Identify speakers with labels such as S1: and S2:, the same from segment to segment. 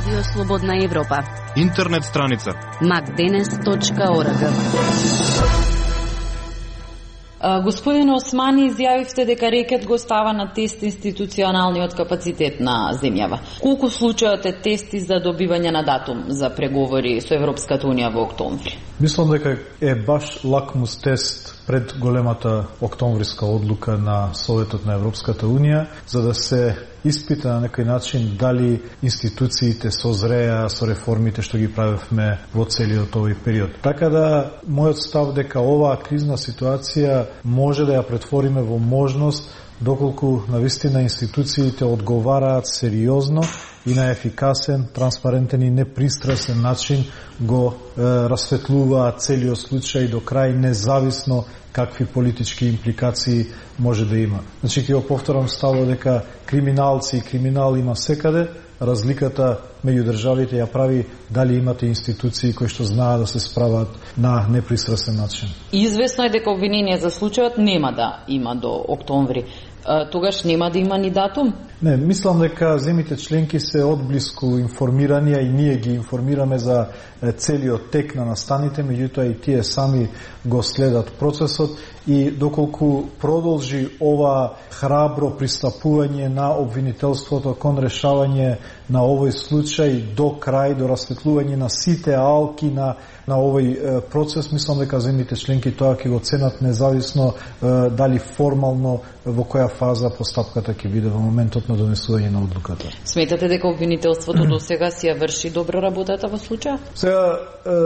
S1: Радио Слободна Европа.
S2: Интернет страница
S1: macdenes.org.
S3: Господин Османи, изјавивте дека рекет го става на тест институционалниот капацитет на земјава. Колку случајот е тести за добивање на датум за преговори со Европската Унија во октомври?
S4: Мислам дека е баш лакмус тест пред големата октомвриска одлука на Советот на Европската Унија, за да се испита на некој начин дали институциите созреа со реформите што ги правевме во целиот овој период. Така да, мојот став дека оваа кризна ситуација може да ја претвориме во можност доколку навистина институциите одговараат сериозно и на ефикасен, транспарентен и непристрасен начин го расветлуваат целиот случај до крај, независно какви политички импликации може да има. Значи, ќе го повторам ставот дека криминалци и криминал има секаде, разликата меѓу државите ја прави дали имате институции кои што знаат да се справат на непристрасен начин.
S3: Известно е дека обвинение за случајот нема да има до октомври. Тогаш нема да има ни датум?
S4: Не, мислам дека земите членки се одблиску информирани, и ние ги информираме за целиот тек на настаните, меѓутоа и тие сами го следат процесот и доколку продолжи ова храбро пристапување на обвинителството кон решавање на овој случај до крај, до расветлување на сите алки на овој процес, мислам дека земите членки тоа ќе го ценат независно дали формално во која фаза постапката ќе биде во моментот на донесување на одлуката.
S3: Сметате дека обвинителството до сега си ја врши добро работата во случај?
S4: Сега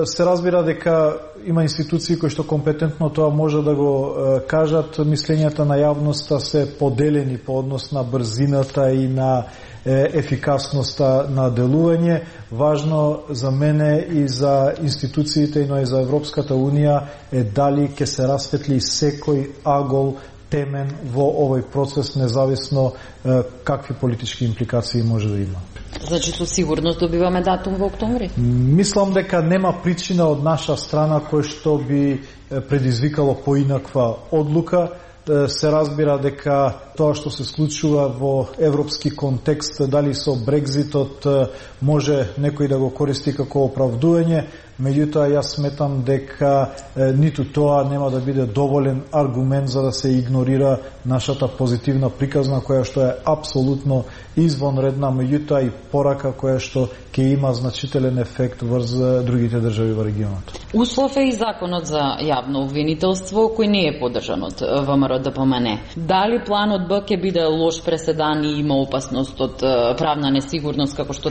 S4: се разбира дека има институции кои што компетентно тоа може да го кажат. Мислењата на јавноста се поделени по однос на брзината и на ефикасноста на делување. Важно за мене и за институциите, но и за Европската Унија е дали ќе се расветли секој агол темен во овој процес, независно какви политички импликации може да има.
S3: Значи, со сигурност добиваме датум во октомври?
S4: Мислам дека нема причина од наша страна кој што би предизвикало поинаква одлука. Се разбира дека тоа што се случува во европски контекст, дали со Брекзитот може некој да го користи како оправдување, меѓутоа јас сметам дека ниту тоа нема да биде доволен аргумент за да се игнорира нашата позитивна приказна, која што е апсолутно извонредна, меѓутоа и порака која што ќе има значителен ефект врз другите држави во регионот.
S3: Услов е и законот за јавно обвинителство, кој не е поддржан од ВМРО-ДПМН. Дали планот Б ќе биде лош преседан и има опасност од правна несигурност, како што